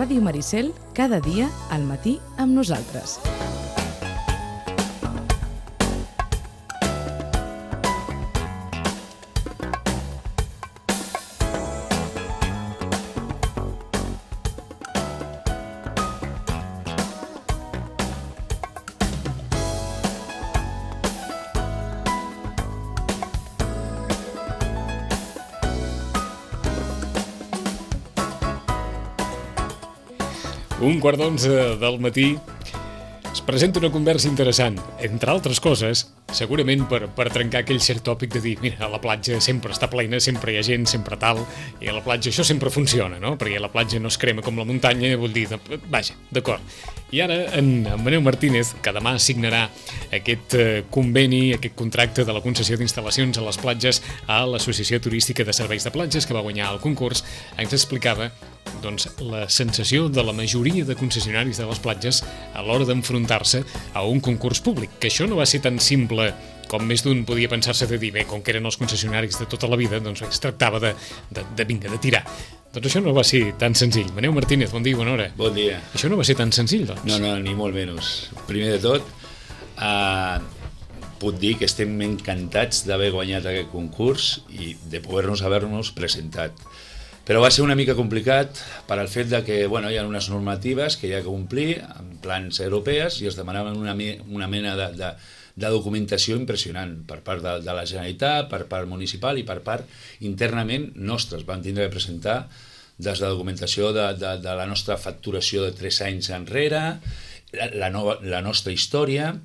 Ràdio Maricel, cada dia al matí amb nosaltres. Un quart d'11 del matí es presenta una conversa interessant, entre altres coses, segurament per trencar aquell cert tòpic de dir, mira, a la platja sempre està plena, sempre hi ha gent, sempre tal, i a la platja això sempre funciona, no? Perquè a la platja no es crema com la muntanya, vull dir, vaja, d'acord. I ara en Manel Martínez, que demà signarà aquest conveni, aquest contracte de la concessió d'instal·lacions a les platges a l'Associació Turística de Serveis de Platges, que va guanyar el concurs, ens explicava doncs, la sensació de la majoria de concessionaris de les platges a l'hora d'enfrontar-se a un concurs públic, que això no va ser tan simple com més d'un podia pensar-se de dir, bé, com que eren els concessionaris de tota la vida, doncs es tractava de tirar. Doncs això no va ser tan senzill. Manel Martínez, bon dia i bona hora. Bon dia. Això no va ser tan senzill, doncs. No, ni molt menys. Primer de tot, puc dir que estem encantats d'haver guanyat aquest concurs i de haver-nos presentat. Però va ser una mica complicat per al fet de que hi ha unes normatives que hi ha que complir en plans europees i es demanaven una mena de documentació impressionant per part de la Generalitat, per part municipal i per part internament nostres. Vam tindre de presentar des de documentació de la nostra facturació de 3 anys enrere, la nostra història,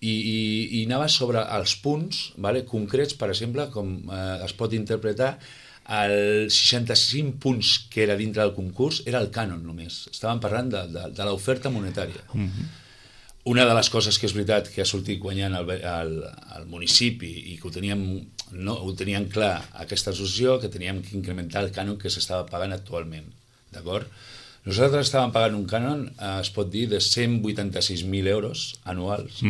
i anava sobre els punts concrets, per exemple, com es pot interpretar els 65 punts que era dintre del concurs era el cànon només. Estàvem parlant de l'oferta monetària. Una de les coses que és veritat que ha sortit guanyant al municipi i que ho teníem clar aquesta associació, que teníem que incrementar el cànon que s'estava pagant actualment. D'acord? Nosaltres estàvem pagant un cànon, es pot dir, de 186.000 euros anuals.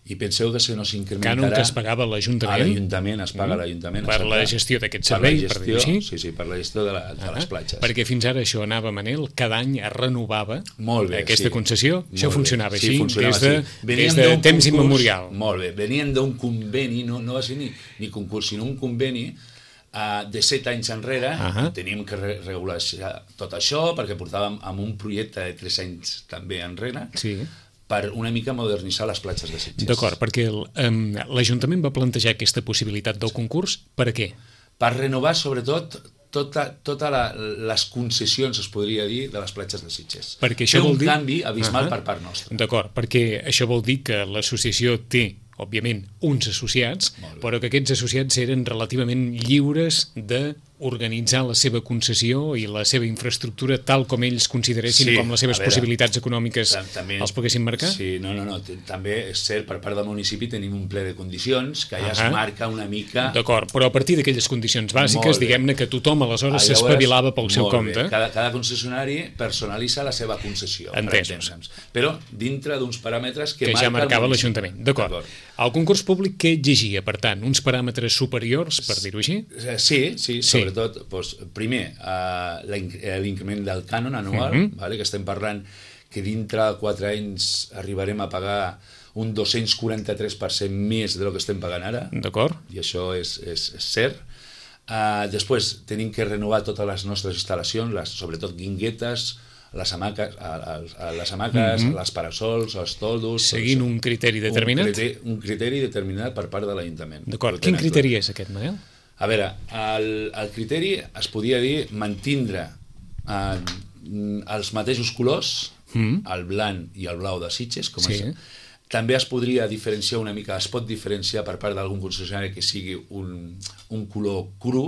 I penseu que si no s'incrementarà... Cànon que es pagava a l'Ajuntament? A l'Ajuntament, es paga a l'Ajuntament. Per la gestió d'aquest servei, per dir-ho així? Sí, per la gestió de les platges. Perquè fins ara això anava, Manel, cada any es renovava aquesta concessió. Això funcionava així des de temps immemorial. Molt bé, venien d'un conveni, no va ser ni concurs, sinó un conveni de 7 anys enrere. Teníem que regular tot això perquè portàvem amb un projecte de 3 anys també enrere, per una mica modernitzar les platges de Sitges. D'acord, perquè l'Ajuntament va plantejar aquesta possibilitat del concurs, per a què? Per renovar, sobretot, totes les concessions, es podria dir, de les platges de Sitges. Fer un canvi abismal per part nostra. D'acord, perquè això vol dir que l'associació té, òbviament, uns associats, però que aquests associats eren relativament lliures d'organitzar la seva concessió i la seva infraestructura tal com ells consideressin, com les seves possibilitats econòmiques els poguessin marcar? Sí, no. També és cert, per part del municipi tenim un ple de condicions que ja es marca una mica... D'acord, però a partir d'aquelles condicions bàsiques, diguem-ne que tothom aleshores s'espavilava pel seu compte. Cada concessionari personalitza la seva concessió. Entesos. Però dintre d'uns paràmetres que ja marcava l'Ajuntament. D'acord. El concurs públic què exigia, per tant? Uns paràmetres superiors, per dir-ho així? Sí, sobretot, primer, l'increment del cànon anual, que estem parlant que dintre de 4 anys arribarem a pagar un 243% més del que estem pagant ara. D'acord. I això és cert. Després, tenim que renovar totes les nostres instal·lacions, sobretot guinguetes, les hamaques, les parasols, els toldos... Seguint un criteri determinat? Un criteri determinat per part de l'Ajuntament. D'acord. Quin criteri és aquest, Manel? A veure, el criteri es podia dir mantindre els mateixos colors, el blanc i el blau de Sitges, com és. També es podria diferenciar una mica, es pot diferenciar per part d'algun concessionari que sigui un color cru,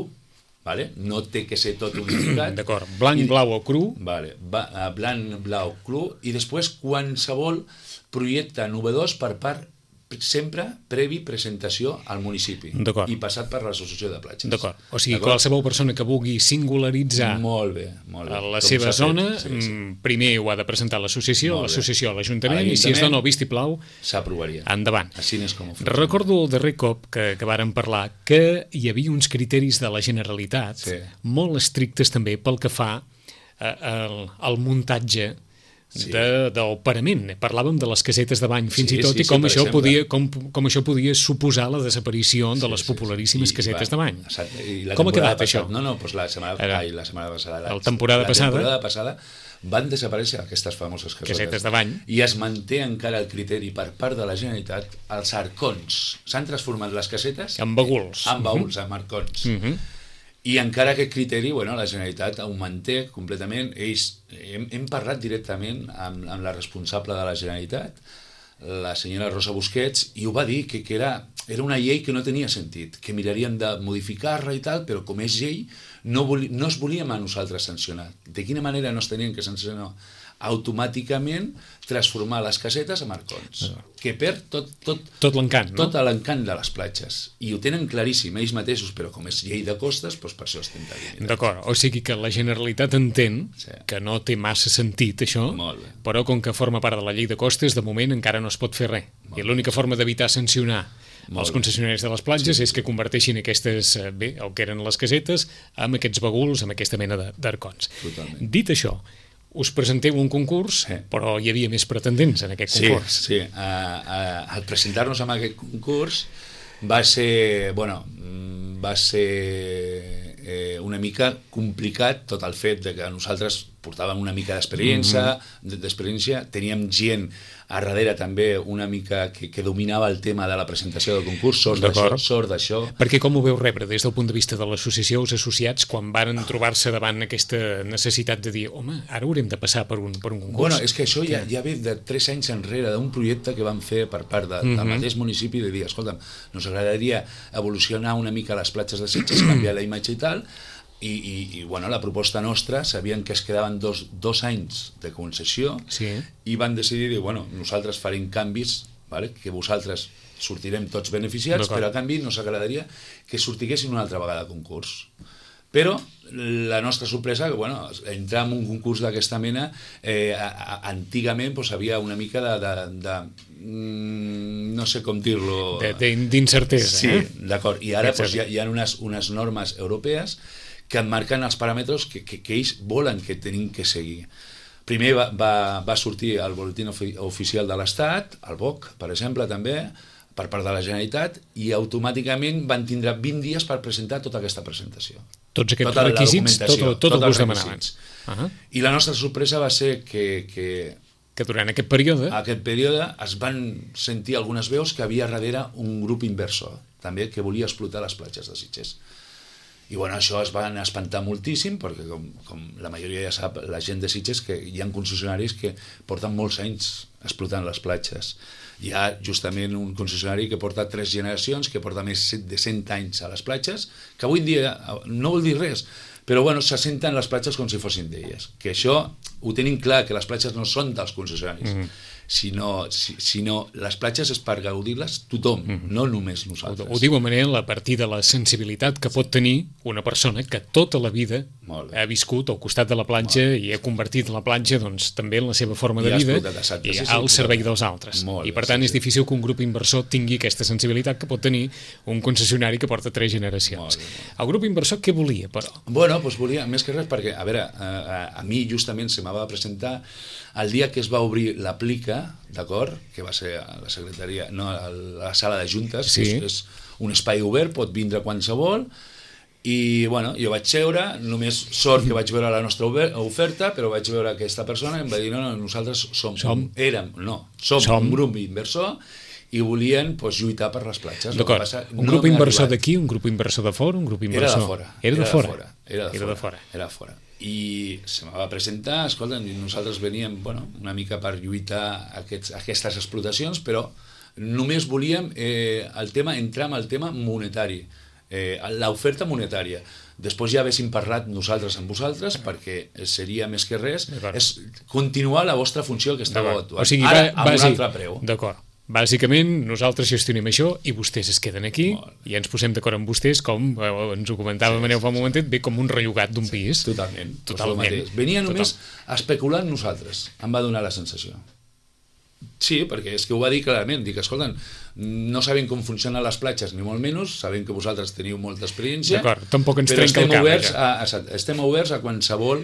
no té que ser tot unificat. D'acord, blanc, blau o cru. Blanc, blau, cru, i després qualsevol projecte novedós per part sempre previ presentació al municipi i passat per l'associació de platges. D'acord, o sigui, qualsevol persona que vulgui singularitzar la seva zona, primer ho ha de presentar a l'associació a l'Ajuntament, i si es dona el vistiplau, s'aprovaria. Endavant. Així és com ho fem. Recordo el darrer cop que vàrem parlar que hi havia uns criteris de la Generalitat molt estrictes també pel que fa el muntatge del parament. Parlàvem de les casetes de bany fins i tot, i com això podia suposar la desaparició de les popularíssimes casetes de bany. Com ha quedat això? Doncs la setmana passada. La temporada passada van desaparèixer aquestes famoses casetes de bany. I es manté encara el criteri per part de la Generalitat, els arcons. S'han transformat les casetes en baguls. En baguls, en arcons. I encara aquest criteri, la Generalitat ho manté completament. Hem parlat directament amb la responsable de la Generalitat, la senyora Rosa Busquets, i ho va dir que era una llei que no tenia sentit, que mirarien de modificar-la i tal, però com és llei no es volíem a nosaltres sancionar. De quina manera no es tenien que sancionar? Automàticament transformar les casetes en arcons, que perd tot l'encant, no? Tot l'encant de les platges. I ho tenen claríssim ells mateixos, però com és llei de costes, doncs per això estem dient. D'acord, o sigui que la Generalitat entén que no té massa sentit això, però com que forma part de la llei de costes, de moment encara no es pot fer res. I l'única forma d'evitar sancionar els concessionaris de les platges és que converteixin aquestes, el que eren les casetes, amb aquests baguls, amb aquesta mena d'arcons. Dit això, us presenteu un concurs, però hi havia més pretendents en aquest concurs. Sí. Al presentar-nos en aquest concurs va ser una mica complicat tot el fet de que nosaltres portàvem una mica d'experiència, teníem gent a darrere també una mica que dominava el tema de la presentació del concurs, sort d'això. Perquè com ho veu rebre des del punt de vista de l'associació, els associats, quan varen trobar-se davant aquesta necessitat de dir, home, ara haurem de passar per un concurs? És que això ja ve de 3 anys enrere, d'un projecte que van fer per part del mateix municipi, de dir, escolta'm, ens agradaria evolucionar una mica les platges de Sitges, canviar la imatge i tal, i la proposta nostra, sabien que es quedaven dos anys de concessió, i van decidir dir, nosaltres farem canvis, que vosaltres sortirem tots beneficiats, però a canvi ens agradaria que sortiguessin una altra vegada a concurs. Però la nostra sorpresa, que entrar en un concurs d'aquesta mena, antigament havia una mica de no sé com dir-lo... D'incertesa. Sí, d'acord. I ara hi ha unes normes europees que marquen els paràmetres que ells volen que tenim que seguir. Primer va sortir el boletín oficial de l'Estat, el BOC, per exemple, també, per part de la Generalitat, i automàticament van tindre 20 dies per presentar tota aquesta presentació. Tots aquests requisits, tot el que us demanaven. I la nostra sorpresa va ser que durant aquest període es van sentir algunes veus que havia darrere un grup inversor, també, que volia explotar les platges de Sitges. I això es van espantar moltíssim, perquè com la majoria ja sap, la gent de Sitges, que hi ha concessionaris que porten molts anys explotant les platges. Hi ha justament un concessionari que porta 3 generacions, que porta més de 100 anys a les platges, que avui en dia no vol dir res, però se senten les platges com si fossin d'elles. Que això ho tenim clar, que les platges no són dels concessionaris, sinó les platges és per gaudir-les tothom, no només nosaltres. Ho diu a manera a partir de la sensibilitat que pot tenir una persona que tota la vida ha viscut al costat de la platja i ha convertit la platja també en la seva forma de vida i al servei dels altres. I per tant és difícil que un grup inversor tingui aquesta sensibilitat que pot tenir un concessionari que porta 3 generacions. El grup inversor què volia, però? Volia més que res perquè, a mi justament se m'ha de presentar el dia que es va obrir l'aplica, d'acord, que va ser a la secretaria, no, a la sala de juntes, que és un espai obert, pot vindre qualsevol, i jo vaig seure, només sort que vaig veure la nostra oferta, però vaig veure aquesta persona i em va dir, no, nosaltres som un grup inversor i volien lluitar per les platges. D'acord, un grup inversor d'aquí, un grup inversor de fora, un grup inversor... Era de fora. I se me va presentar, escolta, nosaltres veníem una mica per lluitar aquestes explotacions, però només volíem entrar en el tema monetari, l'oferta monetària. Després ja haguéssim parlat nosaltres amb vosaltres, perquè seria més que res és continuar la vostra funció que estava actuant, ara amb un altre preu. D'acord. Bàsicament, nosaltres gestionem això i vostès es queden aquí i ens posem d'acord amb vostès, com ens ho comentava Maneu fa un momentet, ve com un rellogat d'un pis. Totalment. Venia només a especular amb nosaltres, em va donar la sensació. Sí, perquè és que ho va dir clarament, dic, escolta, no sabem com funcionen les platges, ni molt menys, sabem que vosaltres teniu molta experiència, d'acord, tampoc ens trenca el cap. Estem oberts a qualsevol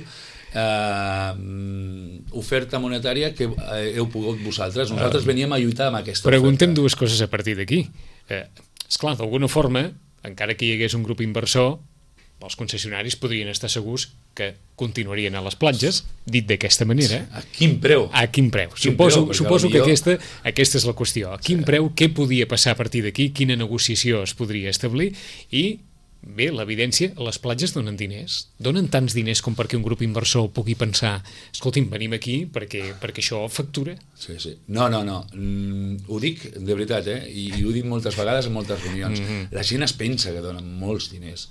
oferta monetària que heu pogut vosaltres. Nosaltres veníem a lluitar amb aquesta Preguntem oferta. dues coses a partir d'aquí. Esclar, d'alguna forma, encara que hi hagués un grup inversor, els concessionaris podrien estar segurs que continuarien a les platges, dit d'aquesta manera. A quin preu? A quin preu? Quin Suposo preu? que aquesta és la qüestió. A quin preu, què podia passar a partir d'aquí, quina negociació es podria establir i, bé, l'evidència, les platges donen diners. Donen tants diners com perquè un grup inversor pugui pensar, escolti'm, venim aquí perquè això factura. Sí, sí. No. Ho dic de veritat, i ho dic moltes vegades en moltes reunions. La gent es pensa que donen molts diners.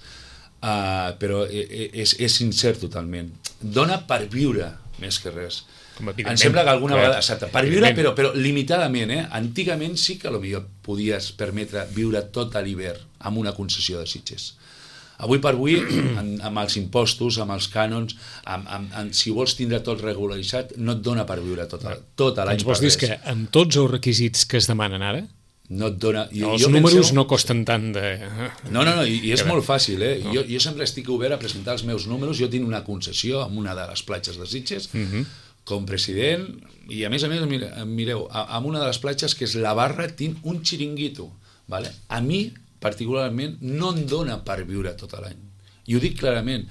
Però és sincer totalment. Dona per viure més que res. Em sembla que alguna vegada, exacte, per viure però limitadament. Antigament sí que potser podies permetre viure tot l'hivern amb una concessió de Sitges. Avui per avui, amb els impostos, amb els cànons, si vols tindre tot regularitzat, no et dona per viure tot l'any. Ens vols dir que amb tots els requisits que es demanen ara, no et dona... Els números no costen tant de... No, i és molt fàcil, Jo sempre estic obert a presentar els meus números. Jo tinc una concessió en una de les platges de Sitges, com president, i a més, mireu, en una de les platges, que és la Barra, tinc un xiringuito. Vale? A mi, particularment, no em dona per viure tot l'any. I ho dic clarament.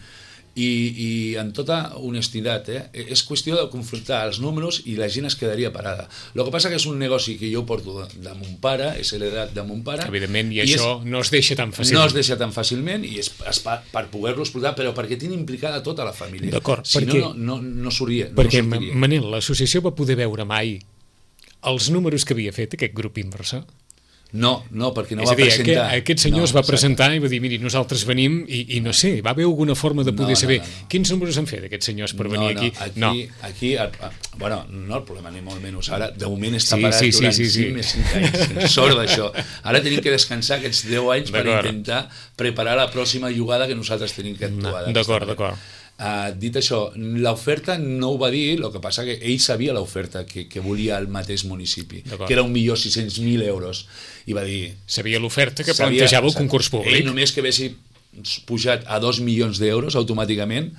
I en tota honestitat, és qüestió de confrontar els números i la gent es quedaria parada. El que passa que és un negoci que jo porto de mon pare, és heredat de mon pare. Evidentment, i això no es deixa tan fàcilment. No es deixa tan fàcilment i és per poder-lo explotar, però perquè tinc implicada tota la família. D'acord, si no sortia. Perquè, Manel, l'associació va poder veure mai els números que havia fet aquest grup inversor? No, perquè no va presentar. Aquest senyor es va presentar i va dir, miri, nosaltres venim i no sé, va haver alguna forma de poder saber quins números han fet aquests senyors per venir aquí? Aquí, bueno, no el problema ni molt menys. Ara, de moment està parat durant 5 anys. Sort d'això. Ara tenim que descansar aquests 10 anys per intentar preparar la pròxima jugada que nosaltres tenim que actuar. D'acord. Dit això, l'oferta no ho va dir, el que passa que ell sabia l'oferta que volia el mateix municipi, que era 1.600.000 euros, i va dir... Sabia l'oferta que plantejava el concurs públic. Ell només que hagués pujat a 2 milions d'euros automàticament,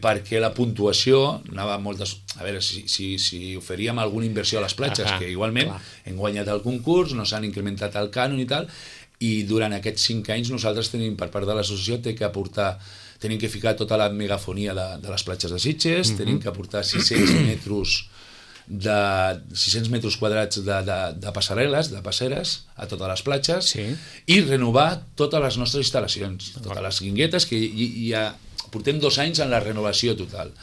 perquè la puntuació anava a moltes... A veure, si oferíem alguna inversió a les platges, que igualment hem guanyat el concurs, no s'han incrementat el cànon i tal, i durant aquests 5 anys nosaltres tenim, per part de l'associació, tenim que ficar tota la megafonia de les platges de Sitges, tenim que aportar 600 metres quadrats de passarel·les, de passeres, a totes les platges, i renovar totes les nostres instal·lacions, totes les guinguetes, que ja portem 2 anys en la renovació total,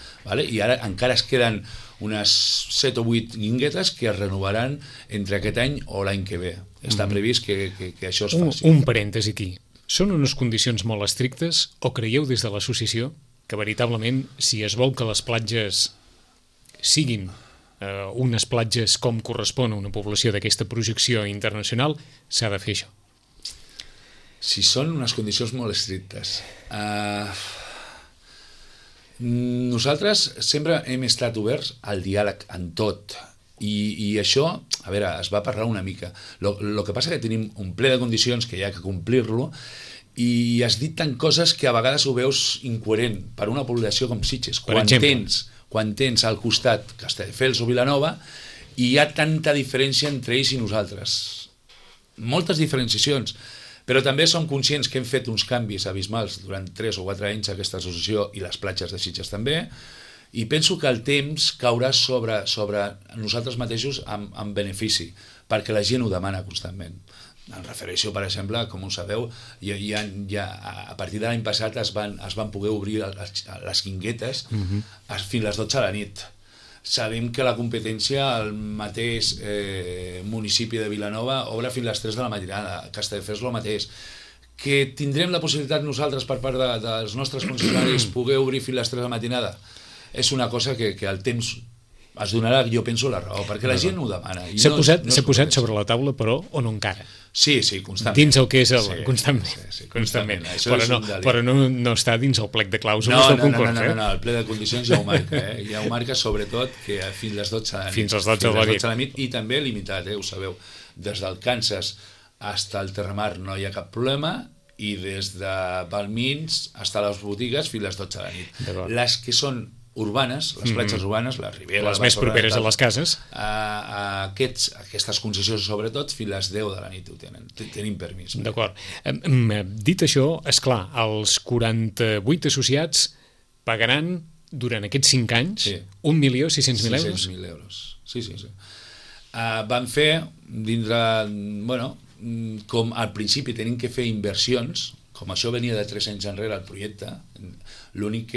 i ara encara es queden unes 7 o 8 guinguetes que es renovaran entre aquest any o l'any que ve. Està previst que això es faci. Un parèntesi aquí. Són unes condicions molt estrictes o creieu des de l'associació que veritablement si es vol que les platges siguin unes platges com correspon a una població d'aquesta projecció internacional, s'ha de fer això? Si són unes condicions molt estrictes. Nosaltres sempre hem estat oberts al diàleg en tot. I això, a veure, es va parlar una mica. El que passa que tenim un ple de condicions que hi ha que complir-lo i has dit tant coses que a vegades ho veus incoherent per una població com Sitges. Quan tens al costat Castelldefels o Vilanova i hi ha tanta diferència entre ells i nosaltres. Moltes diferenciacions. Però també som conscients que hem fet uns canvis abismals durant 3 o 4 anys aquesta associació i les platges de Sitges també. I penso que el temps caurà sobre nosaltres mateixos amb benefici, perquè la gent ho demana constantment. Em refereixo, per exemple, com ho sabeu, a partir de l'any passat es van poder obrir les guinguetes fins a les 12 de la nit. Sabem que la competència al mateix municipi de Vilanova obre fins a les 3 de la matinada, Castelldefels el mateix. Que tindrem la possibilitat nosaltres per part dels nostres funcionaris poder obrir fins a les 3 de la matinada? És una cosa que el temps es donarà, jo penso, la raó, perquè la gent ho demana. S'ha posat sobre la taula, però, o no encara? Sí, constantment. Dins el que és el... Constantment. Però no està dins el plec de clàusules del concurs. No, el ple de condicions ja ho marca. Ja ho marca, sobretot, que fins a les 12 de la nit. Fins a les 12 de la nit. I també limitat, ho sabeu. Des del Kansas fins al Terramar no hi ha cap problema, i des de Balmins fins a les botigues fins a les 12 de la nit. Les que són urbanes, les platges urbanes, la Ribera... Les més properes a les cases. Aquestes concessions, sobretot, fins a les 10 de la nit ho tenim permís. D'acord. Dit això, esclar, els 48 associats pagaran durant aquests 5 anys 1.600.000 euros? 600.000 euros, sí. Van fer, dintre, com al principi tenim que fer inversions, com això venia de 3 anys enrere el projecte, l'únic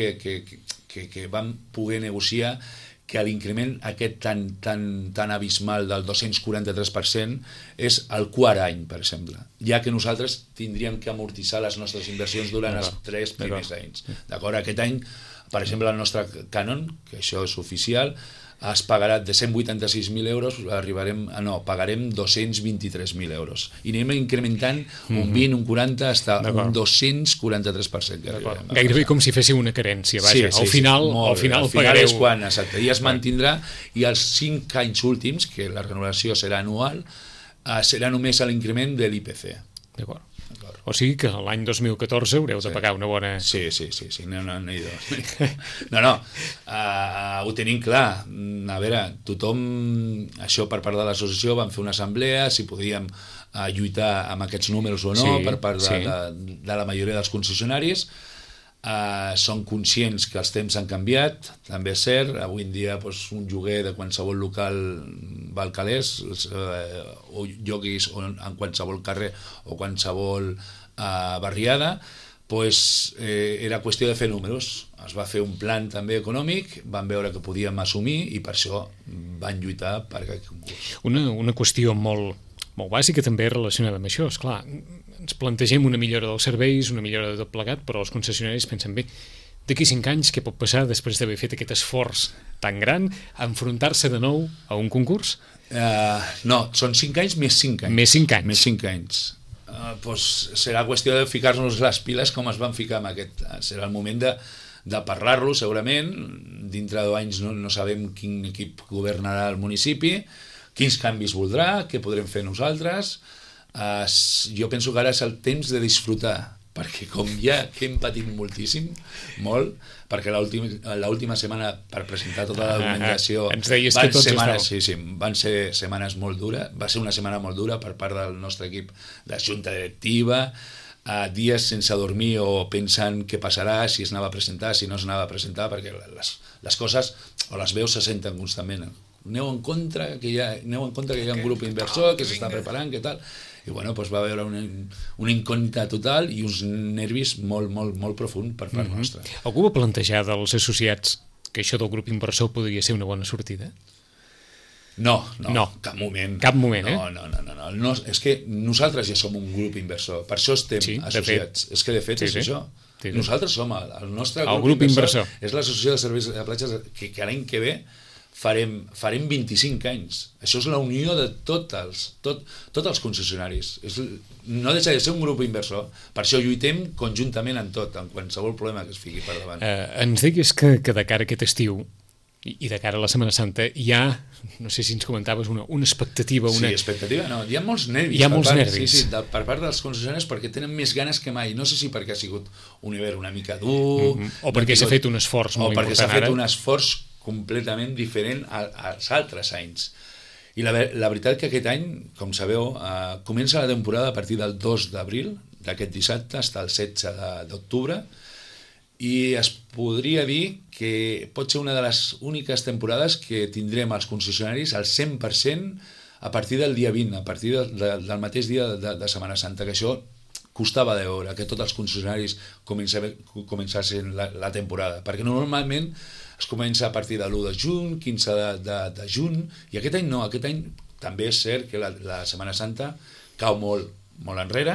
que vam poder negociar que l'increment aquest tan abismal del 243% és el quart any, per exemple, ja que nosaltres tindríem que amortitzar les nostres inversions durant els 3 primers anys. D'acord? Aquest any, per exemple, el nostre cànon, que això és oficial, es pagarà de 186.000 euros, pagarem 223.000 euros. I anem incrementant un 20, un 40, fins un 243%. Gairebé com si féssiu una carència, vaja. Al final pagareu... és quan, exacte, i es mantindrà, i els 5 anys últims, que la renovació serà anual, serà només l'increment de l'IPC. D'acord. O sigui que l'any 2014 haureu de pagar una bona... Sí, no, ho tenim clar. A veure, tothom, això per part de l'associació, vam fer una assemblea, si podíem lluitar amb aquests números o no, per part de la majoria dels concessionaris. Són conscients que els temps han canviat, també és cert. Avui en dia un lloguer de qualsevol local val calés, o lloguis en qualsevol carrer o qualsevol barriada, era qüestió de fer números. Es va fer un plan també econòmic, van veure que podíem assumir i per això van lluitar per aquest concurs. Una qüestió molt bàsica també relacionada amb això, esclar, ens plantegem una millora dels serveis, una millora de tot plegat, però els concessionaris pensen, bé, d'aquí 5 anys què pot passar després d'haver fet aquest esforç tan gran, enfrontar-se de nou a un concurs? No, són 5 anys més 5 anys. Més 5 anys. Serà qüestió de ficar-nos les piles com es van ficar amb aquest. Serà el moment de parlar-lo, segurament. Dintre de 2 anys no sabem quin equip governarà el municipi, quins canvis voldrà, què podrem fer nosaltres. Jo penso que ara és el temps de disfrutar, perquè com ja que hem patit moltíssim, molt, perquè l'última setmana per presentar tota la documentació van ser setmanes molt dures, va ser una setmana molt dura per part del nostre equip de junta directiva, dies sense dormir o pensant què passarà, si es anava a presentar, si no es anava a presentar, perquè les coses o les veus se senten constantment. Aneu en contra que hi ha un grup inversor que s'està preparant, què tal, i va haver una incògnita total i uns nervis molt profund per part nostra. Algú va plantejar dels associats que això del grup inversor podria ser una bona sortida? No, cap moment. Cap moment, No, és que nosaltres ja som un grup inversor, per això estem associats. És que de fet és això. Nosaltres som el nostre grup inversor. És l'associació de serveis de platges que l'any que ve farem 25 anys. Això és la unió de tots els concessionaris. No deixa de ser un grup inversor. Per això lluitem conjuntament en tot, en qualsevol problema que es fiqui per davant. Ens digues que de cara a aquest estiu i de cara a la Setmana Santa hi ha, no sé si ens comentaves, una expectativa. Sí, expectativa no, hi ha molts nervis. Hi ha molts nervis. Sí, per part dels concessionaris, perquè tenen més ganes que mai. No sé si perquè ha sigut un hivern una mica dur... O perquè s'ha fet un esforç molt important ara. O perquè s'ha fet un esforç completament diferent als altres anys. I la veritat que aquest any, com sabeu, comença la temporada a partir del 2 d'abril, d'aquest dissabte, fins al 16 d'octubre, i es podria dir que pot ser una de les úniques temporades que tindrem els concessionaris al 100% a partir del dia 20, a partir del mateix dia de Setmana Santa, que això costava de veure, que tots els concessionaris començassin la temporada, perquè normalment es comença a partir de l'1 de juny, 15 de juny, i aquest any no, aquest any també és cert que la Setmana Santa cau molt enrere,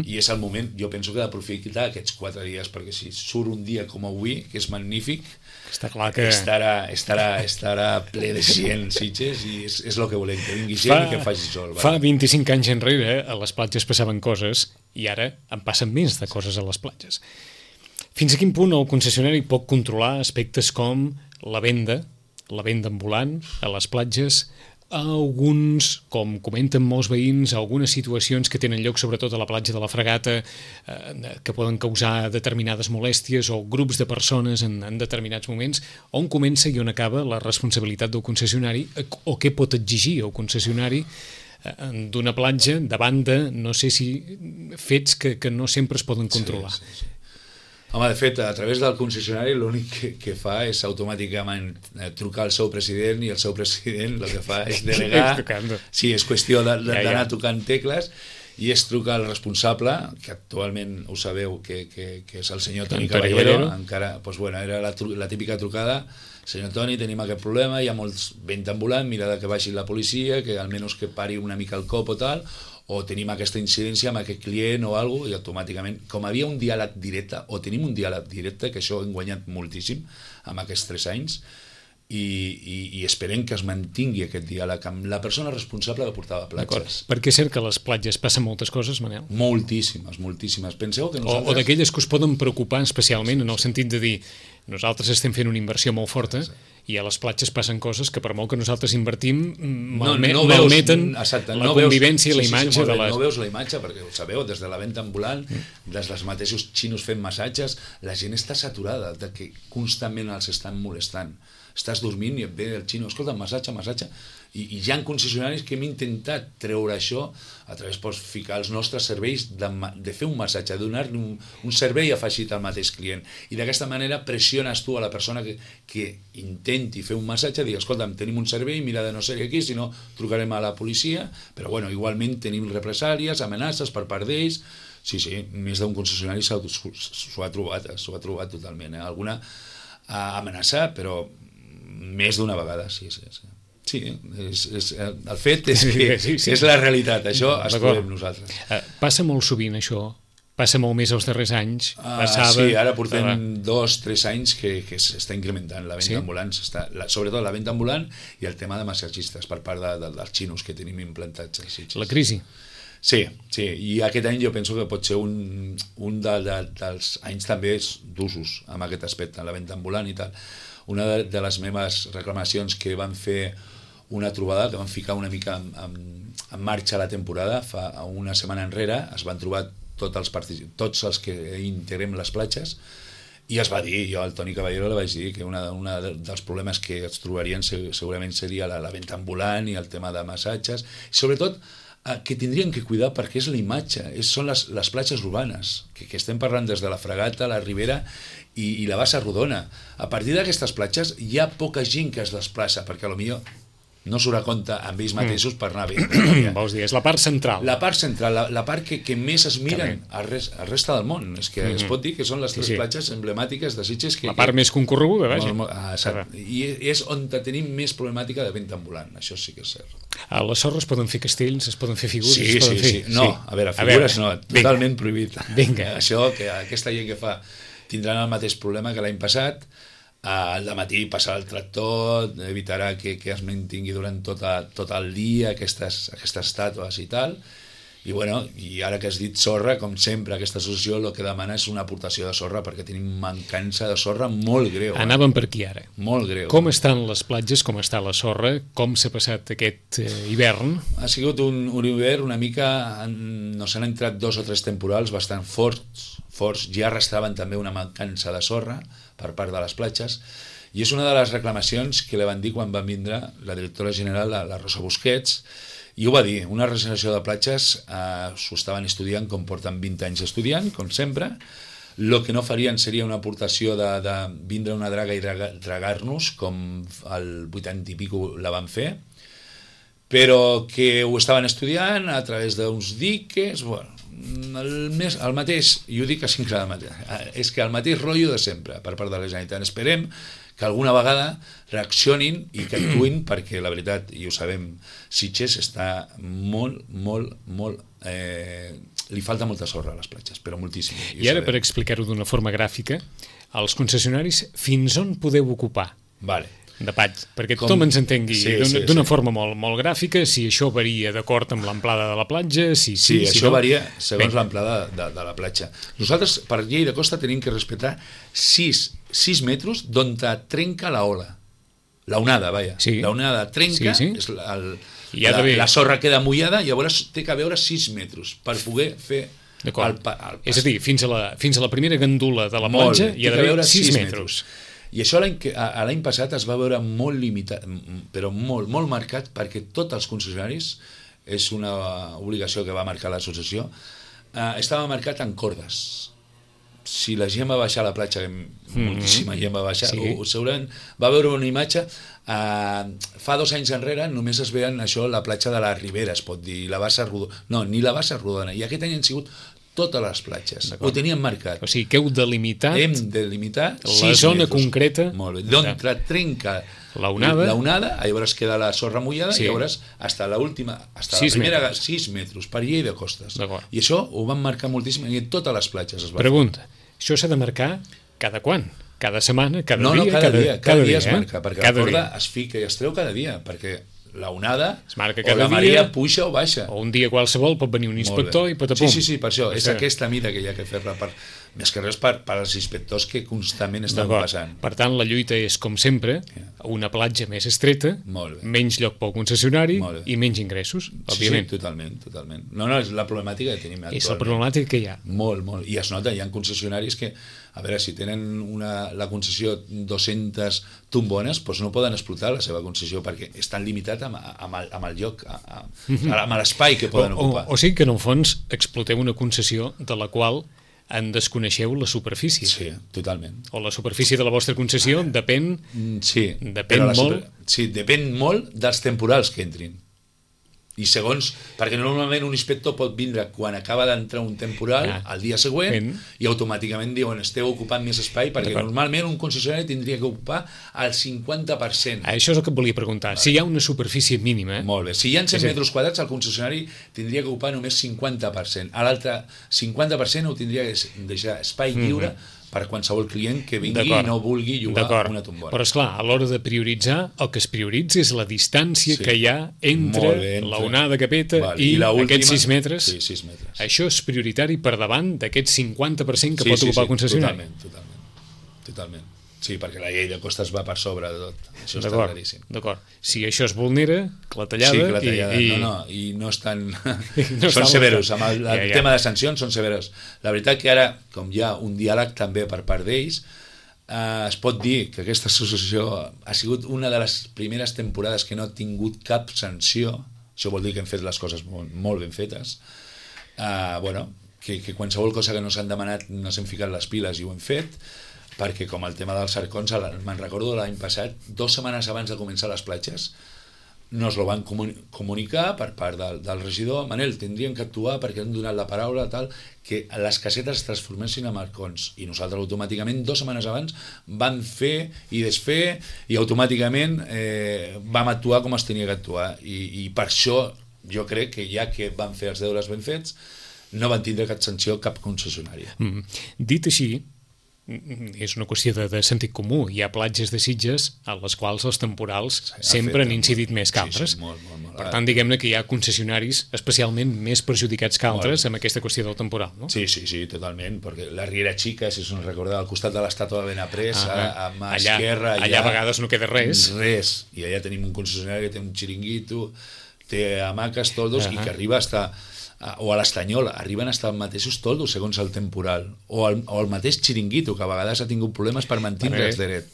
i és el moment, jo penso que d'aprofitar aquests 4 dies, perquè si surt un dia com avui, que és magnífic, està clar que estarà ple de gent, Sitges, i és el que volem, que vingui gent i que faci sol. Fa 25 anys enrere a les platges passaven coses, i ara en passen més de coses a les platges. Fins a quin punt el concessionari pot controlar aspectes com la venda ambulant a les platges, alguns, com comenten molts veïns, algunes situacions que tenen lloc sobretot a la platja de la Fragata que poden causar determinades molèsties o grups de persones en determinats moments, on comença i on acaba la responsabilitat del concessionari o què pot exigir el concessionari d'una platja davant de, no sé si, fets que no sempre es poden controlar. Sí. Home, de fet, a través del concessionari l'únic que fa és automàticament trucar al seu president i el seu president el que fa és delegar. Sí, és qüestió d'anar tocant tecles i es truca al responsable, que actualment ho sabeu que és el senyor Toni Caballero. Encara, doncs, bueno, era la típica trucada: senyor Toni, tenim aquest problema, hi ha molts vent ambulant, mira que vagi la policia, que almenys que pari una mica el cop o tal, o tenim aquesta incidència amb aquest client o alguna cosa, i automàticament, com havia un diàleg directe, o tenim un diàleg directe, que això hem guanyat moltíssim amb aquests 3 anys, i esperem que es mantingui aquest diàleg amb la persona responsable que portava platges. Perquè és cert que a les platges passen moltes coses, Manel? Moltíssimes. Penseu que nosaltres... O d'aquelles que us poden preocupar especialment, en el sentit de dir, nosaltres estem fent una inversió molt forta i a les platges passen coses que per molt que nosaltres invertim malmeten la convivència i la imatge de les... No veus la imatge, perquè ho sabeu, des de la venda ambulant, des dels mateixos xinos fent massatges, la gent està saturada de que constantment els estan molestant. Estàs dormint i et ve el xino, escolta, massatge, i hi ha concessionaris que hem intentat treure això a través de ficar els nostres serveis de fer un massatge, de donar-li un servei afegit al mateix client, i d'aquesta manera pressiones tu a la persona que intenti fer un massatge, digui, escolta, tenim un servei, mira de no ser aquí, si no trucarem a la policia, però bueno, igualment tenim represàlies, amenaces per part d'ells. Sí, més d'un concessionari s'ho ha trobat totalment, alguna amenaça, però més d'una vegada, sí. Sí, el fet és que és la realitat, això es trobem nosaltres. Passa molt sovint això? Passa molt més els darrers anys? Sí, ara portem 2-3 anys que s'està incrementant la venda ambulant, sobretot la venda ambulant i el tema de massatgistes per part dels xinos que tenim implantats. La crisi? Sí, i aquest any jo penso que pot ser un dels anys també d'usos amb aquest aspecte, la venda ambulant i tal. Una de les meves reclamacions que van fer una trobada, que van ficar una mica en marxa la temporada, fa una setmana enrere, es van trobar tots els que integrem les platges, i es va dir, jo al Toni Caballero li vaig dir que un dels problemes que es trobarien segurament seria la venda ambulant i el tema de massatges, i sobretot que tindrien que cuidar perquè és la imatge, són les platges urbanes, que estem parlant des de la Fragata, la Ribera i la Bassa Rodona. A partir d'aquestes platges hi ha poca gent que es desplaça, perquè potser no surt a compte amb ells mateixos per anar bé. Vols dir, és la part central. La part central, la part que més es miren al resta del món. És que es pot dir que són les 3 platges emblemàtiques de Sitges. La part més concorreguda, vaja. I és on tenim més problemàtica de venda ambulant, això sí que és cert. A la sorra es poden fer castells, es poden fer figures? Sí. No, a veure, figures no, totalment prohibit. Vinga. Això, que aquesta gent que fa tindran el mateix problema que l'any passat. Al dematí passarà el tractor, evitarà que es mantingui durant tot el dia aquestes estàtues i tal. I ara que has dit sorra, com sempre, aquesta associació el que demana és una aportació de sorra, perquè tenim mancança de sorra molt greu. Anàvem per aquí ara. Molt greu. Com estan les platges, com està la sorra, com s'ha passat aquest hivern? Ha sigut un hivern una mica... Nos han entrat 2 o 3 temporals bastant forts, ja arrastraven també una mancança de sorra per part de les platges, i és una de les reclamacions que li van dir quan va vindre la directora general, la Rosa Busquets, i ho va dir, una regeneració de platges s'ho estaven estudiant com porten 20 anys estudiant, com sempre. El que no farien seria una aportació de vindre una draga i dragar-nos, com el 80 i pico la van fer, però que ho estaven estudiant a través d'uns diques, el mateix, i ho dic a cinc de matí, és que el mateix rotllo de sempre per part de la Generalitat. Esperem que alguna vegada reaccionin i que actuïn, perquè la veritat, i ho sabem, Sitges està molt... li falta molta sorra a les platges, però moltíssim. I ara, per explicar-ho d'una forma gràfica, els concessionaris fins on podeu ocupar? Vale. De patx, perquè tothom ens entengui d'una forma molt gràfica, si això varia d'acord amb l'amplada de la platja, si això varia segons l'amplada de la platja. Nosaltres, per llei de costa, tenim que respectar 6 metres d'on trenca la ola. la onada, vaja. Sí. La onada trenca, Sí. és I la sorra queda mullada, llavors té que veure 6 metres per poder fer el pas. És a dir, fins a la primera gandula de la platja hi ha d'haver 6 metres. I això l'any passat es va veure molt limitat, però molt marcat, perquè tots els concessionaris, és una obligació que va marcar l'associació, estava marcat en cordes. Si la gent va baixar a la platja, moltíssima gent va baixar, segurament va veure una imatge, fa 2 anys enrere només es veien això, la platja de la Ribera, es pot dir, la bassa rodona, no, ni la bassa rodona, i aquest any han sigut totes les platges, ho teníem marcat. O sigui, que heu delimitat hem de limitar la zona concreta. Molt bé, d'on trenca la onada, llavors queda la sorra mullada, i llavors fins a la primera 6 metres per llei de costes. I això ho van marcar moltíssim i en totes les platges es va Pregunta, això s'ha de marcar cada quan? Cada setmana? Cada dia? No, cada dia es marca, perquè la corda es fica i es treu cada dia, perquè la onada o la marea puja o baixa. O un dia qualsevol pot venir un inspector i patapum. Sí, per això, és aquesta mida que hi ha que fer-la, més que res per als inspectors que constantment estan passant. Per tant, la lluita és, com sempre, una platja més estreta, menys lloc pel concessionari i menys ingressos, òbviament. Sí, totalment. No, és la problemàtica que tenim actualment. És la problemàtica que hi ha. Molt, i es nota, hi ha concessionaris que, a veure, si tenen la concessió 200 tombones, doncs no poden explotar la seva concessió perquè estan limitats amb el lloc, amb l'espai que poden ocupar. O sigui que, en el fons, exploteu una concessió de la qual en desconeixeu la superfície. Sí, totalment. O la superfície de la vostra concessió depèn molt. Sí, depèn molt dels temporals que entrin. I segons, perquè normalment un inspector pot vindre quan acaba d'entrar un temporal al dia següent i automàticament diuen esteu ocupant més espai, perquè normalment un concessionari tindria que ocupar el 50%. Això és el que et volia preguntar. Si hi ha una superfície mínima... Molt bé. Si hi ha 100 metres quadrats, el concessionari tindria que ocupar només 50%. A l'altre 50% ho tindria que deixar espai lliure per qualsevol client que vingui i no vulgui llogar una tombona. Però, esclar, a l'hora de prioritzar, el que es prioritza és la distància que hi ha entre la onada que peta i aquests 6 metres. Sí, 6 metres. Això és prioritari per davant d'aquest 50% que pot ocupar el concessionari. Totalment. Sí, perquè la llei de costes va per sobre de tot. Això està claríssim. D'acord. Si això es vulnera, clatellada... I no estan... Són severos. Amb el tema de sancions són severos. La veritat que ara, com hi ha un diàleg també per part d'ells, es pot dir que aquesta associació ha sigut una de les primeres temporades que no ha tingut cap sanció. Això vol dir que hem fet les coses molt ben fetes. Que qualsevol cosa que no s'han demanat no s'hem ficat les piles i ho hem fet, perquè com el tema dels arcons, me'n recordo l'any passat, 2 setmanes abans de començar les platges, nos lo van comunicar per part del regidor, Manel, tindríem que actuar perquè han donat la paraula tal, que les casetes es transformessin en arcons, i nosaltres automàticament 2 setmanes abans vam fer i desfer i automàticament vam actuar com es tenia que actuar, i per això jo crec que ja que van fer els deures ben fets no van tindre cap sanció cap concessionari. Dit així, és una qüestió de sentit comú. Hi ha platges de Sitges a les quals els temporals sempre han incidit més que altres. Per tant, diguem-ne que hi ha concessionaris especialment més perjudicats que altres amb aquesta qüestió del temporal, no? Sí, totalment, perquè la Riera Xica, si us en recordeu, al costat de l'estàtua de Benaprés, a mà esquerra... Allà a vegades no queda res. I allà tenim un concessionari que té un xiringuito, té hamaques, toldos, i que arriba o a l'Estanyol, arriben a estar els mateixos toldos segons el temporal, o el mateix xiringuito, que a vegades ha tingut problemes per mantindre's dret.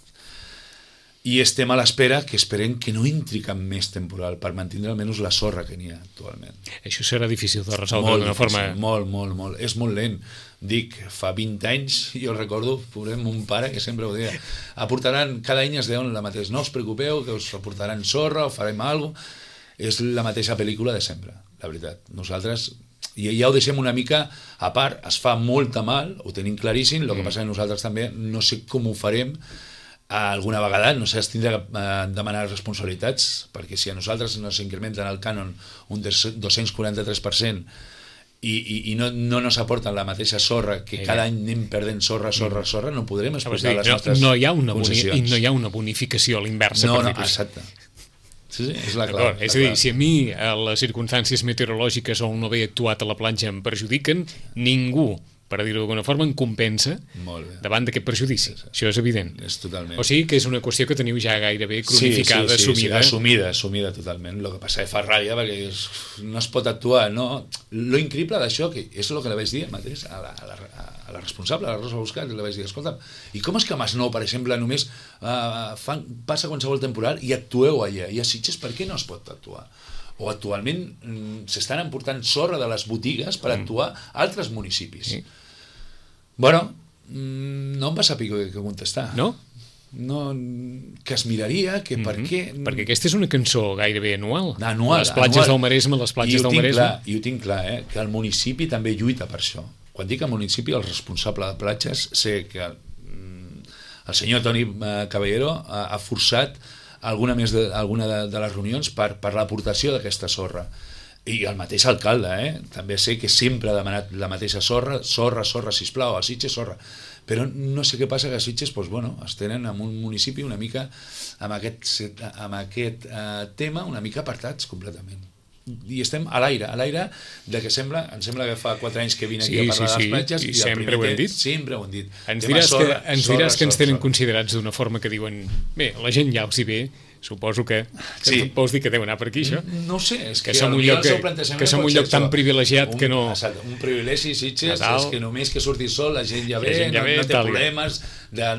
I estem a l'espera, que esperem que no entri cap més temporal, per mantindre almenys la sorra que n'hi ha actualment. Això serà difícil de resoldre d'una forma... Molt. És molt lent. Dic, fa 20 anys, jo recordo, mon pare, que sempre ho deia, aportaran, cada any es deuen la mateixa, no us preocupeu, que us aportaran sorra, o farem alguna cosa. És la mateixa pel·lícula de sempre, la veritat. Nosaltres ja ho deixem una mica a part, es fa molta mal, ho tenim claríssim, el que passa que nosaltres també no sé com ho farem alguna vegada, no sé, es tindrà que demanar responsabilitats, perquè si a nosaltres ens incrementen el cànon un 243% i no ens aporten la mateixa sorra, que cada any anem perdent sorra, no podrem explotar les nostres concessions. I no hi ha una bonificació a l'inversa. No, exacte. Sí, és la clau. És a dir, si a mi les circumstàncies meteorològiques o el no haver actuat a la platja em perjudiquen, ningú per dir-ho d'alguna forma, en compensa davant d'aquest perjudici. Això és evident. És totalment. O sigui que és una qüestió que teniu ja gairebé cronificada, assumida. Sí, assumida totalment. El que passa és fa ràbia perquè no es pot actuar, no? Lo increïble d'això, que és el que li vaig dir mateix a la responsable, a la Rosa Buscat, li vaig dir, escolta, i com és que a Masnou, per exemple, només passa qualsevol temporal i actueu allà, i a Sitges per què no es pot actuar? O actualment s'estan emportant sorra de les botigues per actuar a altres municipis. Sí. Bueno, no em va saber què contestar. No? No, que es miraria, que per què... Perquè aquesta és una cançó gairebé anual. Les platges del Maresme, les platges del Maresme. I ho tinc clar, que el municipi també lluita per això. Quan dic el municipi, el responsable de platges, sé que el senyor Toni Caballero ha forçat alguna de les reunions per l'aportació d'aquesta sorra. I el mateix alcalde, també sé que sempre ha demanat la mateixa sorra, sisplau, a Sitges, sorra. Però no sé què passa, que a Sitges es tenen en un municipi una mica amb aquest tema una mica apartats completament. I estem a l'aire de que em sembla que fa 4 anys que vine aquí a parlar de les platges i sempre ho hem dit. Sempre ho hem dit. Ens diràs que ens tenen considerats d'una forma que diuen, bé, la gent ja els hi ve, suposo que vols dir que deu anar per aquí, això? No ho sé, és que som un lloc tan privilegiat que no... Un privilegi, Sitges, és que només que surti sol la gent ja ve, no té problemes,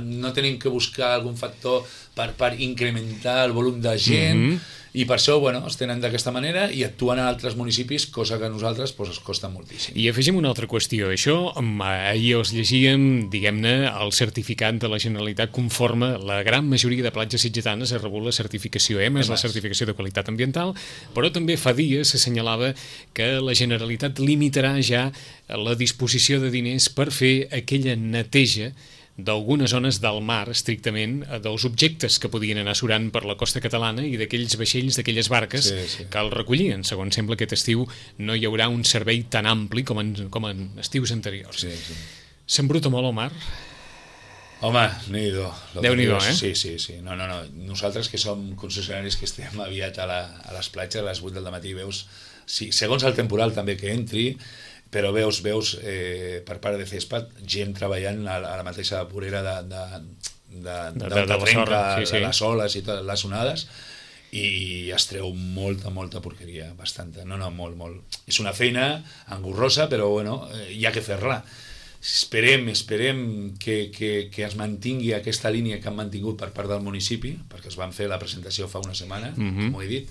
no tenim que buscar algun factor per incrementar el volum de gent, i per això es tenen d'aquesta manera i actuen a altres municipis, cosa que a nosaltres ens costa moltíssim. I afegim una altra qüestió. Això, ahir els llegíem, diguem-ne, el certificat de la Generalitat conforme la gran majoria de platges sitgetanes ha rebut la certificació EMAS, la certificació de qualitat ambiental, però també fa dies s'assenyalava que la Generalitat limitarà ja la disposició de diners per fer aquella neteja d'algunes zones del mar, estrictament, dels objectes que podien anar surant per la costa catalana i d'aquells vaixells, d'aquelles barques que el recollien. Segons sembla, aquest estiu no hi haurà un servei tan ampli com en estius anteriors. S'embruta molt el mar? Home, Déu-n'hi-do. Déu-n'hi-do, Sí. No. Nosaltres, que som concessionaris que estem aviat a les platges a les 8 del matí, veus, segons el temporal també que entri, però veus per part de CESPAT gent treballant a la mateixa vorera de les oles i les onades, i es treu molta porqueria, bastanta. No, molt. És una feina engorrosa, però hi ha que fer-la. Esperem que es mantingui aquesta línia que han mantingut per part del municipi, perquè es van fer la presentació fa una setmana, com ho he dit,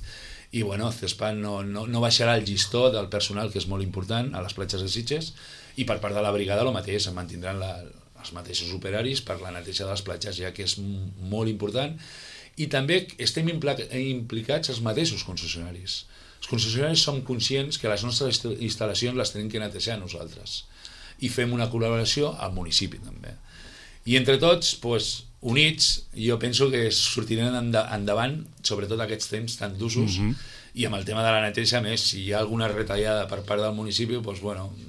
i CESPAT no baixarà el llistó del personal, que és molt important a les platges de Sitges, i per part de la brigada el mateix, es mantindran els mateixos operaris per la neteja de les platges, ja que és molt important, i també estem implicats els mateixos concessionaris. Els concessionaris som conscients que les nostres instal·lacions les tenim que netejar nosaltres, i fem una col·laboració al municipi també. I entre tots, units, jo penso que sortirem endavant, sobretot aquests temps tan d'usos, i amb el tema de la neteja, més, si hi ha alguna retallada per part del municipi,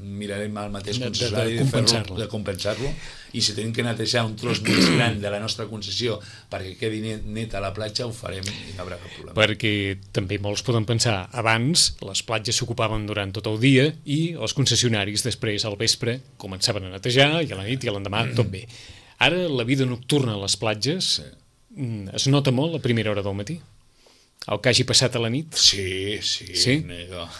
mirarem al mateix concessionari de compensar-lo, i si tenim que netejar un tros més gran de la nostra concessió perquè quedi neta la platja, ho farem i no hi haurà cap problema. Perquè també molts poden pensar, abans les platges s'ocupaven durant tot el dia i els concessionaris després al vespre començaven a netejar i a la nit i a l'endemà tot bé. Ara la vida nocturna a les platges es nota molt a primera hora del matí. El que hagi passat a la nit? Sí.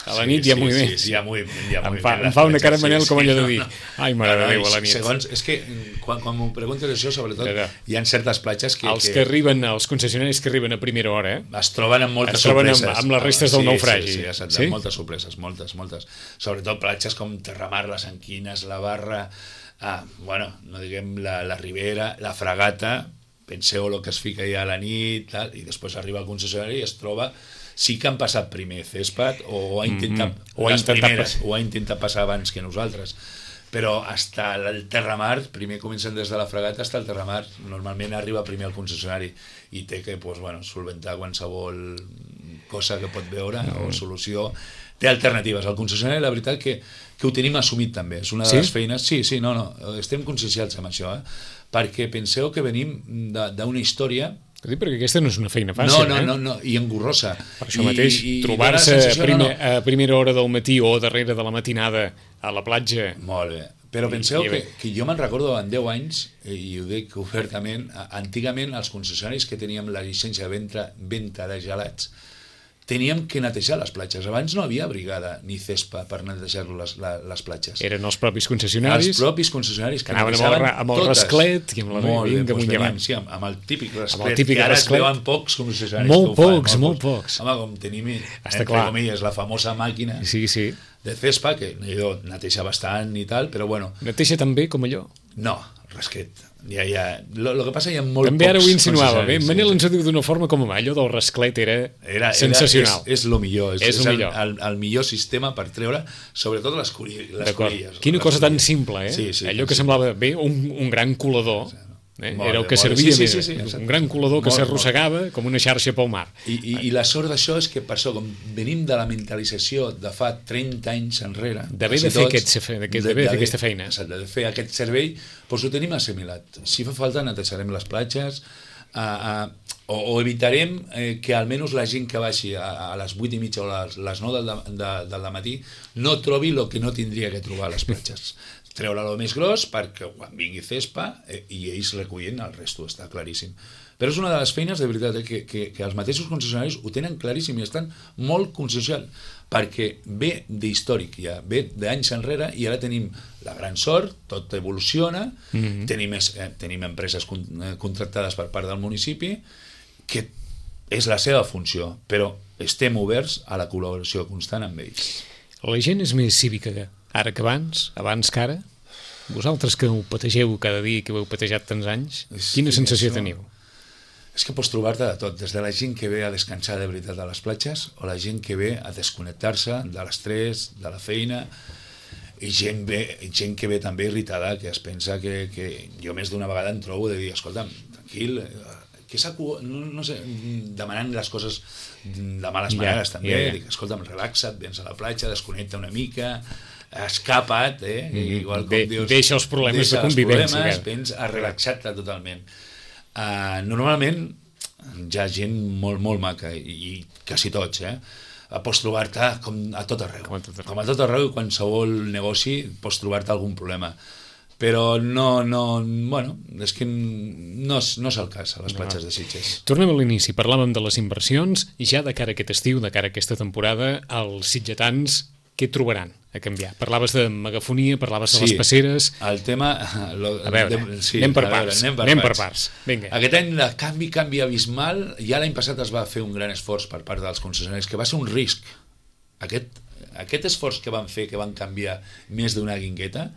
A la nit hi ha moviment. Sí, hi ha moviment. Em fa una cara Manel com allò de dir ai, mare de Déu, a la nit. Segons, és que quan m'ho preguntes això, sobretot, hi ha certes platges que... Els concessionaris que arriben a primera hora es troben amb moltes sorpreses. Amb les restes del naufragi. Sí, moltes sorpreses, moltes. Sobretot platges com Terramar, les Anquines, la Barra, no diguem la Ribera, la Fragata. Penseu el que es fica ja a la nit, i després arriba el concessionari i es troba... Sí que han passat primer CESPAT o ha intentat passar abans que nosaltres, però hasta el Terramar, primer comencen des de la Fragata hasta el Terramar, normalment arriba primer el concessionari i té que solventar qualsevol cosa que pot veure o solució. Té alternatives. El concessionari, la veritat que ho tenim assumit també, és una de les feines. Sí, estem conscienciats amb això, perquè penseu que venim d'una història... Perquè aquesta no és una feina fàcil, No, i engorrosa. Per això mateix, trobar-se a primera hora del matí o darrere de la matinada a la platja... Molt bé, Però penseu que jo me'n recordo en 10 anys, i ho dic obertament, antigament els concessionaris que teníem la llicència de venda de gelats teníem que netejar les platges. Abans no havia brigada ni CESPA per netejar les platges. Eren els propis concessionaris? Els propis concessionaris que anaven amb el rasclet i amb la vinga amunt i avall. Sí, amb el típic rasclet, que ara es veuen pocs concessionaris. Molt pocs. Home, com tenim, entre comilles, la famosa màquina de CESPA, que neteja bastant i tal, però bueno... Neteja tan bé com allò? No, rasclet. Lo que passa hi ha molt també pocs... També ara ho insinuava. Manel ens ho diu d'una forma com allò del rasclet era sensacional. És el millor. És el millor sistema per treure, sobretot les colilles. Quina cosa tan simple, eh? Allò que semblava bé, un gran colador. Era el que servia més. Un gran colador que s'arrossegava com una xarxa pel mar. I la sort d'això és que per això, com venim de la mentalització de fa 30 anys enrere, d'haver de fer aquesta feina, de fer aquest servei, doncs ho tenim assimilat. Si fa falta netejarem les platges, o evitarem que almenys la gent que baixi a les 8:30 o a les 9 del matí no trobi el que no tindria que trobar a les platges. Treure-lo més gros perquè quan vingui CESPA i ells recullen el resto, està claríssim. Però és una de les feines, de veritat, que els mateixos concessionaris ho tenen claríssim i estan molt conscienciats, perquè ve d'històric ja, ve d'anys enrere, i ara tenim la gran sort, tot evoluciona, tenim empreses contractades per part del municipi, que és la seva funció, però estem oberts a la col·laboració constant amb ells. La gent és més cívica ara que abans que ara? Vosaltres que ho pategeu cada dia, que ho heu patejat tants anys, quina sensació teniu? És que pots trobar-te de tot, des de la gent que ve a descansar de veritat a les platges, o la gent que ve a desconnectar-se de l'estrès, de la feina, i gent que ve també irritada, que es pensa que jo més d'una vegada em trobo de dir, escolta'm, tranquil, que no sé, demanant les coses de males maneres també, dic, escolta'm, relaxa't, vens a la platja, desconnecta una mica, escapa't, igual com dius, deixa els problemes de convivència, vens a relaxar-te totalment. Normalment hi ha gent molt maca, i quasi tots, pots trobar-te com a tot arreu, i qualsevol negoci pots trobar-te algun problema, però és que no és el cas a les platges de Sitges. Tornem a l'inici, parlàvem de les inversions, i ja de cara a aquest estiu, de cara a aquesta temporada, els sitgetans què trobaran a canviar? Parlaves de megafonia, parlaves de les passeres... El tema... A veure, anem per parts. Vinga. Aquest any el canvi abismal, ja l'any passat es va fer un gran esforç per part dels concessionaris, que va ser un risc. Aquest esforç que van fer, que van canviar més d'una guingueta,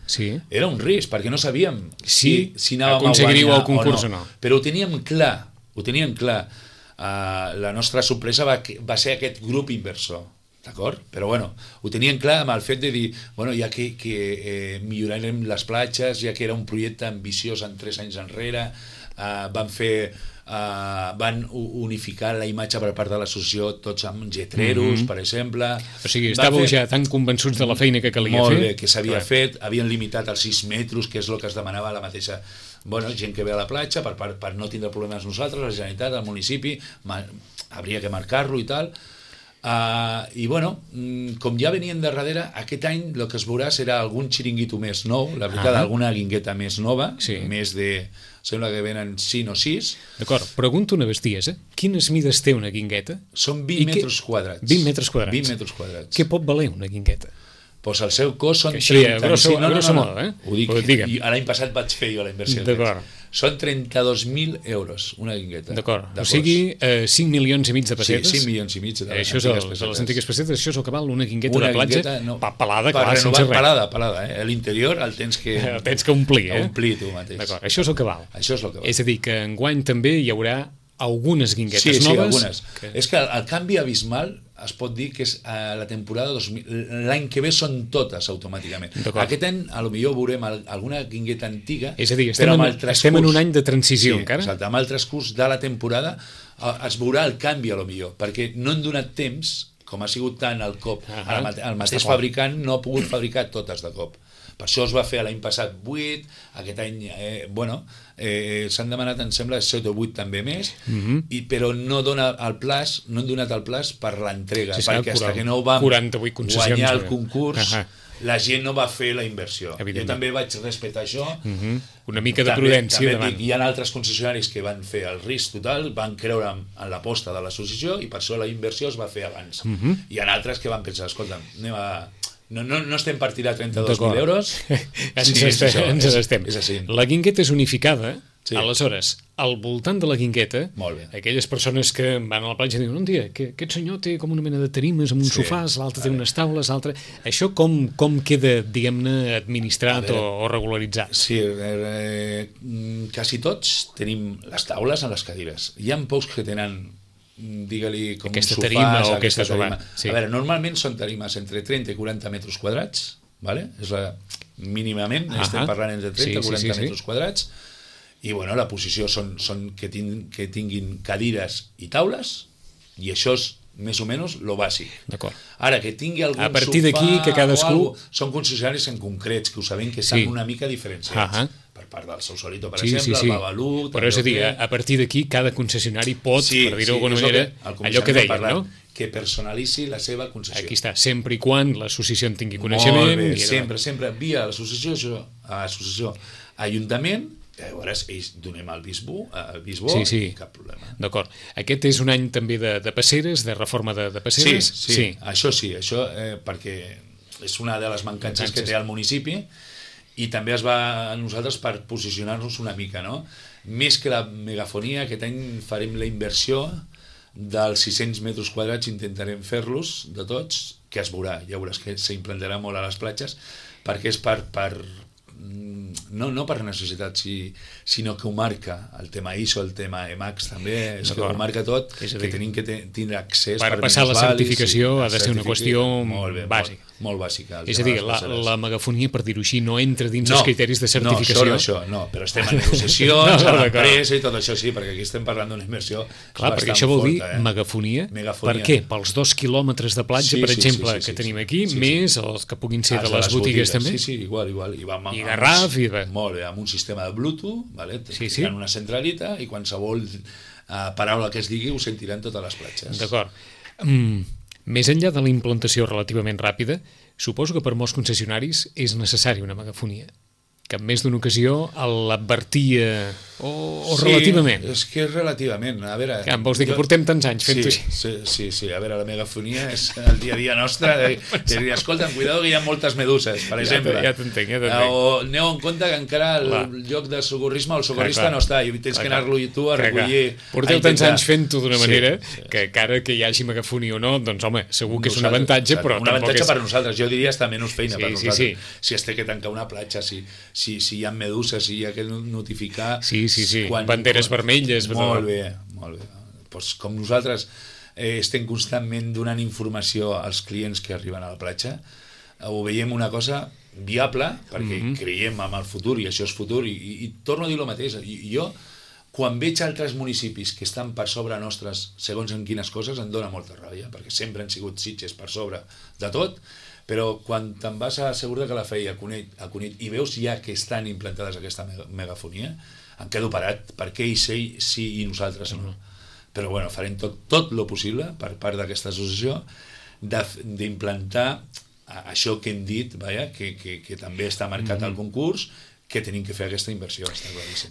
era un risc, perquè no sabíem si anàvem a guanyar el concurs o no. Però ho teníem clar. La nostra sorpresa va ser aquest grup inversor. D'acord? Però bueno, ho tenien clar amb el fet de dir, bueno, ja que millorarem les platges, ja que era un projecte ambiciós en 3 anys enrere, van unificar la imatge per part de l'associació, tots amb lletreros, per exemple. O sigui, estàveu ja tan convençuts de la feina que calia fer? Molt bé, que s'havia fet, havien limitat als 6 metres, que és el que es demanava la mateixa gent que ve a la platja, per no tindre problemes nosaltres, la Generalitat, el municipi, hauria que marcar-lo i tal. I bueno, com ja venien de darrere, aquest any el que es veurà serà algun xiringuito més nou, la veritat, alguna guingueta més nova, més de... sembla que venen 5 o 6. D'acord, pregunto una bestiesa, quines mides té una guingueta? Són 20 metres quadrats. 20 metres quadrats. 20 metres quadrats. Què pot valer una guingueta? Doncs el seu cost són... A grosso modo, ho dic, l'any passat vaig fer jo la inversió. D'acord. Són 32.000 euros una guingueta. D'acord, o sigui 5,5 milions de pessetes. Sí, 5,5 milions de les antigues pessetes. Això és el que val una guingueta de platja pelada, clar, sense res. Pelada, l'interior el tens que... El tens que omplir, omplir tu mateix. D'acord, això és el que val. Això és el que val. És a dir, que enguany també hi haurà algunes guinguetes noves. Sí, algunes. És que el canvi abismal es pot dir que és la temporada 2000, l'any que ve són totes automàticament. Aquest any potser veurem alguna guingueta antiga, és a dir, estem en un any de transició encara. Exacte, amb el transcurs de la temporada es veurà el canvi potser, perquè no hem donat temps, com ha sigut tant el cop, el mateix fabricant no ha pogut fabricar totes de cop. Per això es va fer l'any passat 8, aquest any, s'han demanat, em sembla, 7 o 8 també més, però no hem donat el plaç per l'entrega, perquè fins que no vam guanyar el concurs la gent no va fer la inversió. Jo també vaig respectar això. Una mica de prudència també davant. Dic, hi ha altres concessionaris que van fer el risc total, van creure en l'aposta de l'associació i per això la inversió es va fer abans. Hi ha altres que van pensar, escolta, no estem per tirar 32.000 euros. Ens estem. És així. La Guingueta és unificada. Aleshores, al voltant de la Guingueta, aquelles persones que van a la platja diuen, tia, que aquest senyor té com una mena de tarimes amb uns sofàs, l'altre té unes taules, l'altre... Això com queda, diguem-ne, administrat o regularitzat? Sí, quasi tots tenim les taules en les cadires. Hi ha pocs que tenen, digue-li, com aquesta un sofàs, tarima o aquesta tarima. Sí. A veure, normalment són tarimes entre 30 i 40 metres quadrats, vale? És mínimament, estem parlant entre 30 i 40 metres quadrats, i bueno, la posició són que tinguin cadires i taules, i això és més o menys lo bàsic. D'acord. Ara, que tingui algun a partir d'aquí que cadascú... Són concessionaris en concrets, que ho sabem que estan una mica diferenciats. Per part del Sausalito, per exemple, el Babalú... Però és a dir, a partir d'aquí cada concessionari pot, per dir-ho d'alguna manera, allò que deien, no? Que personalitzi la seva concessió. Aquí està, sempre i quan l'associació en tingui coneixement... Molt bé, sempre via l'associació, Ajuntament. Llavors ells donem el bisbó cap problema. D'acord. Aquest és un any també de passeres, de reforma de passeres? Sí. Això perquè és una de les mancances que té el municipi i també es va a nosaltres per posicionar-nos una mica, no? Més que la megafonia, aquest any farem la inversió dels 600 metres quadrats, intentarem fer-los de tots, que es veurà, ja veuràs que s'implantarà molt a les platges, perquè és no per necessitat, sinó que ho marca el tema ISO, el tema EMAX també, és que ho marca tot, que tenim que tindre accés per passar la certificació ha de ser una qüestió bàsica. Molt bàsica. És a dir, la megafonia, per dir-ho així, no entra dins els criteris de certificació. No, això, però estem en negociacions, a l'empresa i tot això, sí, perquè aquí estem parlant d'una inversió clar, perquè això vol dir megafonia. Per què? Pels 2 quilòmetres de platja, per exemple, que tenim aquí, més els que puguin ser de les botigues també? Sí, igual. I Garraf, molt bé, amb un sistema de Bluetooth, en una centralita, i qualsevol paraula que es digui ho sentiran totes les platges. D'acord. Més enllà de la implantació relativament ràpida, suposo que per molts concessionaris és necessària una megafonia, que en més d'una ocasió l'advertia o relativament. Sí, és que és relativament. A veure, em vols dir que portem tants anys fent-ho així? Sí. A veure, la megafonia és el dia a dia nostre. Escolta, cuidado que hi ha moltes meduses, per exemple. Ja t'entenc. O aneu en compte que encara el lloc de socorrisme, el socorrista no està, i tens que anar-lo tu a recollir. Porteu tants anys fent-ho d'una manera que encara que hi hagi megafonia o no, doncs home, segur que és un avantatge, però un avantatge per nosaltres. Jo diria està menys feina per nosaltres. Si es té que tancar una platja, si hi ha meduses, si hi ha que notificar... Sí. Banderes vermelles. Molt bé. Pues com nosaltres estem constantment donant informació als clients que arriben a la platja, ho veiem una cosa viable, perquè creiem en el futur, i això és futur, i torno a dir el mateix. Jo, quan veig altres municipis que estan per sobre nostres, segons en quines coses, em dóna molta ràbia, perquè sempre han sigut Sitges per sobre de tot, però quan te'n vas a Segura de Calafell, a Cunit, i veus ja que estan implantades aquesta megafonia, em quedo parat, perquè ells sí i nosaltres no. Però bueno, farem tot el possible per part d'aquesta associació d'implantar això que hem dit, que també està marcat al concurs, que tenim que fer aquesta inversió.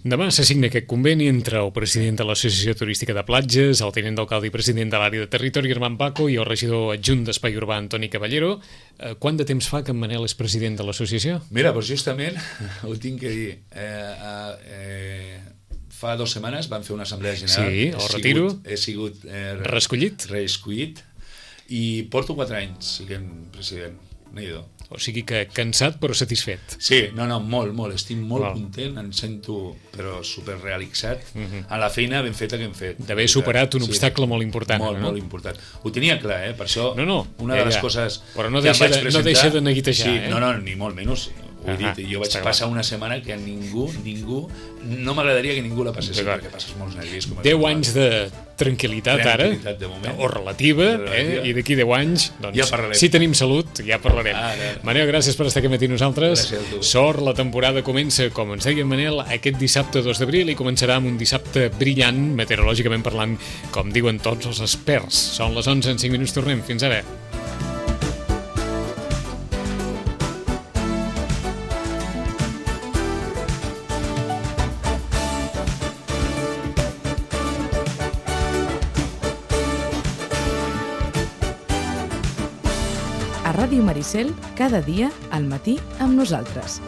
Demà s'assigna aquest conveni entre el president de l'Associació Turística de Platges, el tinent d'alcalde i president de l'àrea de territori, Armand Paco, i el regidor adjunt d'Espai Urbà, Antoni Caballero. Quant de temps fa que en Manel és president de l'associació? Mira, doncs justament ho tinc que dir. Fa 2 setmanes vam fer una assemblea general. Sí, el retiro. He sigut reescollit i porto 4 anys siguent president. N'hi-do. O sigui que cansat però satisfet. Sí, molt. Estic molt content, em sento però superrealitzat en la feina ben feta que hem fet. D'haver superat un obstacle molt important. Molt important. Ho tenia clar, per això una de les coses però no deixa de neguitejar. Sí, ni molt menys. Ho he dit, jo vaig passar una setmana que ningú, no m'agradaria que ningú la passés, perquè passes molts nervis. 10 anys de tranquil·litat ara, o relativa, i d'aquí 10 anys, doncs, si tenim salut, ja parlarem. Manel, gràcies per estar aquí amb nosaltres. Sort, la temporada comença, com ens deia Manel, aquest dissabte 2 d'abril, i començarà amb un dissabte brillant, meteorològicament parlant, com diuen tots els experts. Són les 11, en 5 minuts tornem. Fins ara. A Ràdio Maricel, cada dia al matí amb nosaltres.